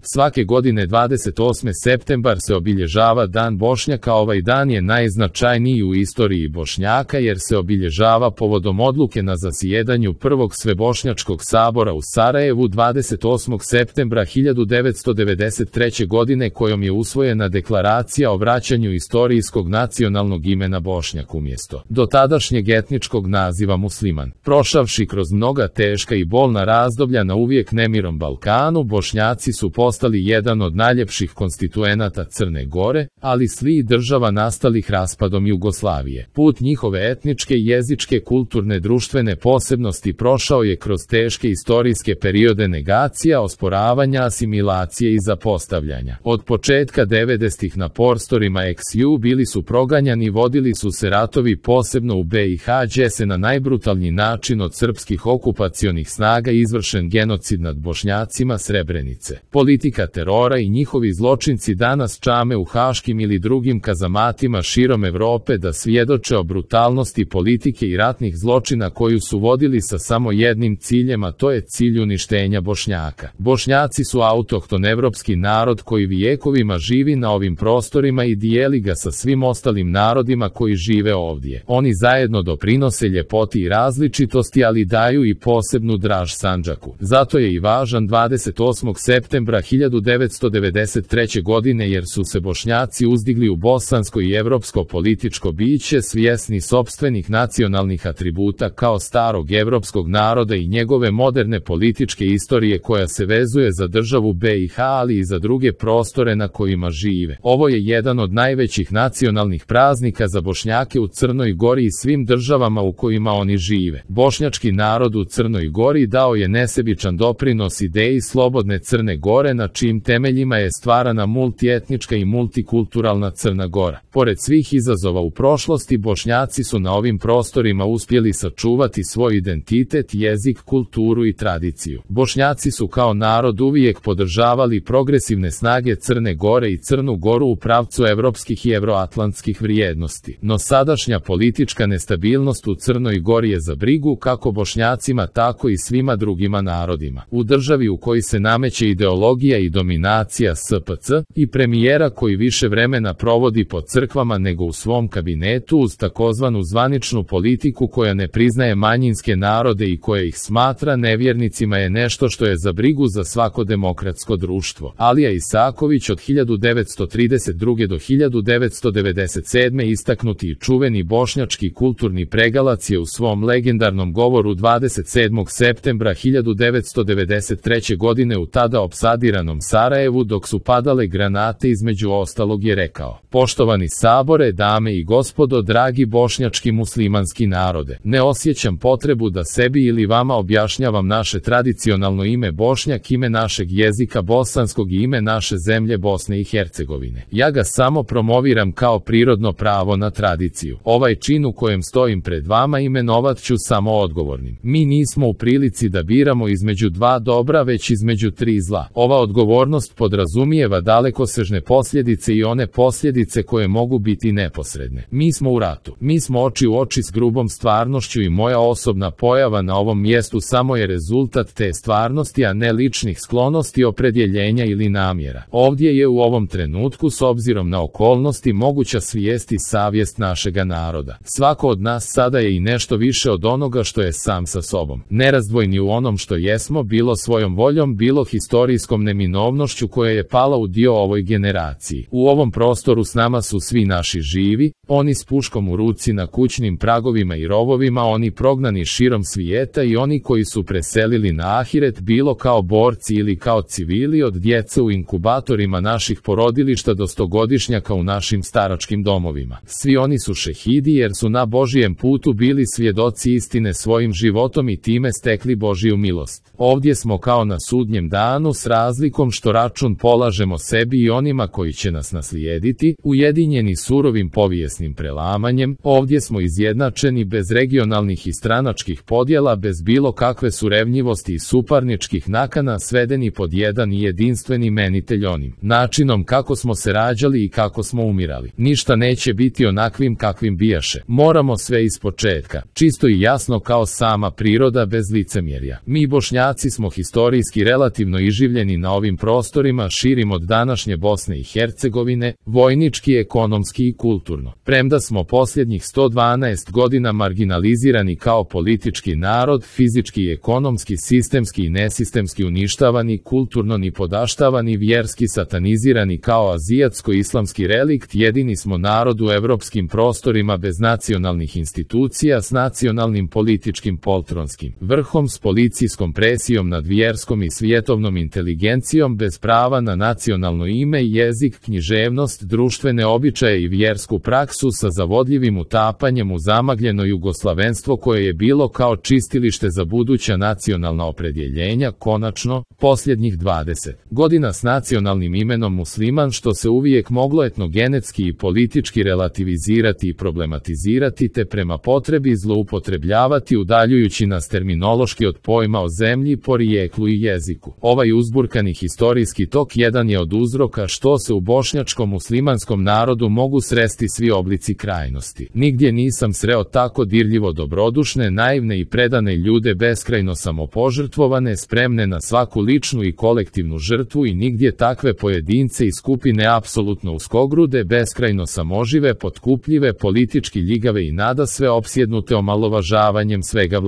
Svake godine 28. septembar se obilježava Dan Bošnjaka. Ovaj dan je najznačajniji u istoriji Bošnjaka jer se obilježava povodom odluke na zasjedanju Prvog svebošnjačkog sabora u Sarajevu 28. septembra 1993. godine kojom je usvojena deklaracija o vraćanju istorijskog nacionalnog imena Bošnjak umjesto dotadašnjeg etničkog naziva Musliman. Prošavši kroz mnoga teška i bolna razdoblja na uvijek nemirom Balkanu, Bošnjaci su postali jedan od najljepših konstituenata Crne Gore, ali svih država nastalih raspadom Jugoslavije. Put njihove etničke, jezičke, kulturne, društvene posebnosti prošao je kroz teške istorijske periode negacija, osporavanja, asimilacije i zapostavljanja. Od početka 90-ih na prostorima XU bili su proganjani, vodili su se ratovi posebno u BiH, gdje se na najbrutalniji način od srpskih okupacionih snaga izvršen genocid nad Bošnjacima Srebrenice. Politika terora i njihovi zločinci danas čame u haškim ili drugim kazamatima širom Evrope da svjedoče o brutalnosti politike i ratnih zločina koju su vodili sa samo jednim ciljem, a to je cilj uništenja Bošnjaka. Bošnjaci su autohton evropski narod koji vijekovima živi na ovim prostorima i dijeli ga sa svim ostalim narodima koji žive ovdje. Oni zajedno doprinose ljepoti i različitosti, ali daju i posebnu draž Sandžaku. Zato je i važan 28. septembra 1993. godine jer su se Bošnjaci uzdigli u bosansko i evropsko političko biće svjesni sopstvenih nacionalnih atributa kao starog evropskog naroda i njegove moderne političke istorije koja se vezuje za državu BiH, ali i za druge prostore na kojima žive. Ovo je jedan od najvećih nacionalnih praznika za Bošnjake u Crnoj Gori i svim državama u kojima oni žive. Bošnjački narod u Crnoj Gori dao je nesebičan doprinos ideji slobodne Crne Gore na čijim temeljima je stvarana multietnička i multikulturalna Crna Gora. Pored svih izazova u prošlosti, Bošnjaci su na ovim prostorima uspjeli sačuvati svoj identitet, jezik, kulturu i tradiciju. Bošnjaci su kao narod uvijek podržavali progresivne snage Crne Gore i Crnu Goru u pravcu evropskih i evroatlantskih vrijednosti. No sadašnja politička nestabilnost u Crnoj Gori je za brigu kako Bošnjacima tako i svima drugima narodima. U državi u kojoj se nameće ideologija i dominacija SPC i premijera koji više vremena provodi po crkvama nego u svom kabinetu uz takozvanu zvaničnu politiku koja ne priznaje manjinske narode i koja ih smatra nevjernicima je nešto što je za brigu za svako demokratsko društvo. Alija Isaković od 1932. do 1997. istaknuti i čuveni bošnjački kulturni pregalac je u svom legendarnom govoru 27. septembra 1993. godine u tada opsadiranom Sarajevu dok su padale granate između ostalog je rekao: "Poštovani sabore, dame i gospodo, dragi bošnjački muslimanski narode, ne osjećam potrebu da sebi ili vama objašnjavam naše tradicionalno ime Bošnjak, ime našeg jezika bosanskog i ime naše zemlje Bosne i Hercegovine. Ja ga samo promoviram kao prirodno pravo na tradiciju. Ovaj čin u kojem stojim pred vama imenovat ću samo odgovornim. Mi nismo u prilici da biramo između dva dobra, već između tri zla. Ova odgovornost podrazumijeva dalekosežne posljedice i one posljedice koje mogu biti neposredne. Mi smo u ratu. Mi smo oči u oči s grubom stvarnošću i moja osobna pojava na ovom mjestu samo je rezultat te stvarnosti, a ne ličnih sklonosti, opredjeljenja ili namjera. Ovdje je u ovom trenutku, s obzirom na okolnosti, moguća svijest i savjest našega naroda. Svako od nas sada je i nešto više od onoga što je sam sa sobom. Nerazdvojni u onom što jesmo, bilo svojom voljom, bilo historijskom neminovnošću koja je pala u dio ovoj generaciji. U ovom prostoru s nama su svi naši živi, oni s puškom u ruci na kućnim pragovima i rovovima, oni prognani širom svijeta i oni koji su preselili na ahiret bilo kao borci ili kao civili, od djece u inkubatorima naših porodilišta do stogodišnjaka u našim staračkim domovima. Svi oni su šehidi jer su na Božijem putu bili svjedoci istine svojim životom i time stekli Božiju milost. Ovdje smo kao na sudnjem danu s razlikom što račun polažemo sebi i onima koji će nas naslijediti, ujedinjeni surovim povijesnim prelamanjem. Ovdje smo izjednačeni bez regionalnih i stranačkih podjela, bez bilo kakve surevnjivosti i suparničkih nakana, svedeni pod jedan i jedinstveni imenitelj onim načinom kako smo se rađali i kako smo umirali. Ništa neće biti onakvim kakvim bijaše. Moramo sve ispočetka, čisto i jasno kao sama priroda, bez licemjerja. Mi Bošnjaci smo historijski relativno iživljeni na na ovim prostorima širim od današnje Bosne i Hercegovine, vojnički, ekonomski i kulturno. Premda smo posljednjih 112 godina marginalizirani kao politički narod, fizički i ekonomski, sistemski i nesistemski uništavani, kulturno ni podaštavani, vjerski satanizirani kao azijatsko-islamski relikt, jedini smo narod u evropskim prostorima bez nacionalnih institucija, s nacionalnim političkim poltronskim vrhom, s policijskom presijom nad vjerskom i svjetovnom inteligencijom, bez prava na nacionalno ime, jezik, književnost, društvene običaje i vjersku praksu, sa zavodljivim utapanjem u zamagljeno jugoslavenstvo koje je bilo kao čistilište za buduća nacionalna opredjeljenja, konačno, posljednjih 20 godina s nacionalnim imenom musliman, što se uvijek moglo etnogenetski i politički relativizirati i problematizirati te prema potrebi zloupotrebljavati, udaljujući nas terminološki od pojma o zemlji, porijeklu i jeziku. Ovaj uzburkani historijski tok jedan je od uzroka što se u bošnjačkom muslimanskom narodu mogu sresti svi oblici krajnosti. Nigdje nisam sreo tako dirljivo dobrodušne, naivne i predane ljude, beskrajno samopožrtvovane, spremne na svaku ličnu i kolektivnu žrtvu, i nigdje takve pojedince i skupine apsolutno uskogrude, beskrajno samožive, potkupljive, politički ljigave i nadasve opsjednute omalovažavanjem svega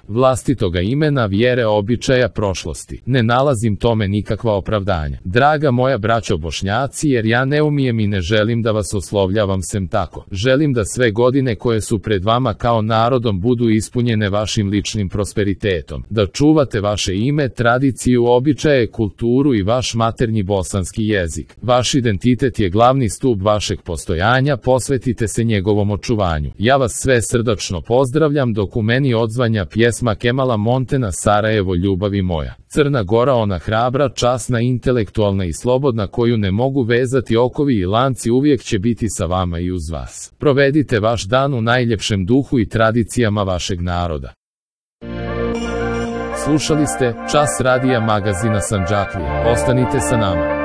vlastitoga imena, vjere, običaja, prošlosti. Ne nalazim tome nikakva opravdanja. Draga moja braćo Bošnjaci, jer ja ne umijem i ne želim da vas oslovljavam sem tako. Želim da sve godine koje su pred vama kao narodom budu ispunjene vašim ličnim prosperitetom, da čuvate vaše ime, tradiciju, običaje, kulturu i vaš maternji bosanski jezik. Vaš identitet je glavni stup vašeg postojanja, posvetite se njegovom očuvanju. Ja vas sve srdačno pozdravljam, dok u meni odzvanja pjesma Kemala Montena Sarajevo, ljubavi moja. Crna Gora, ona hrabra, časna, intelektualna i slobodna, koju ne mogu vezati okovi i lanci, uvijek će biti sa vama i uz vas. Provedite vaš dan u najljepšem duhu i tradicijama vašeg naroda. Slušali ste Čas radija magazina Sandžaklija. Ostanite sa nama.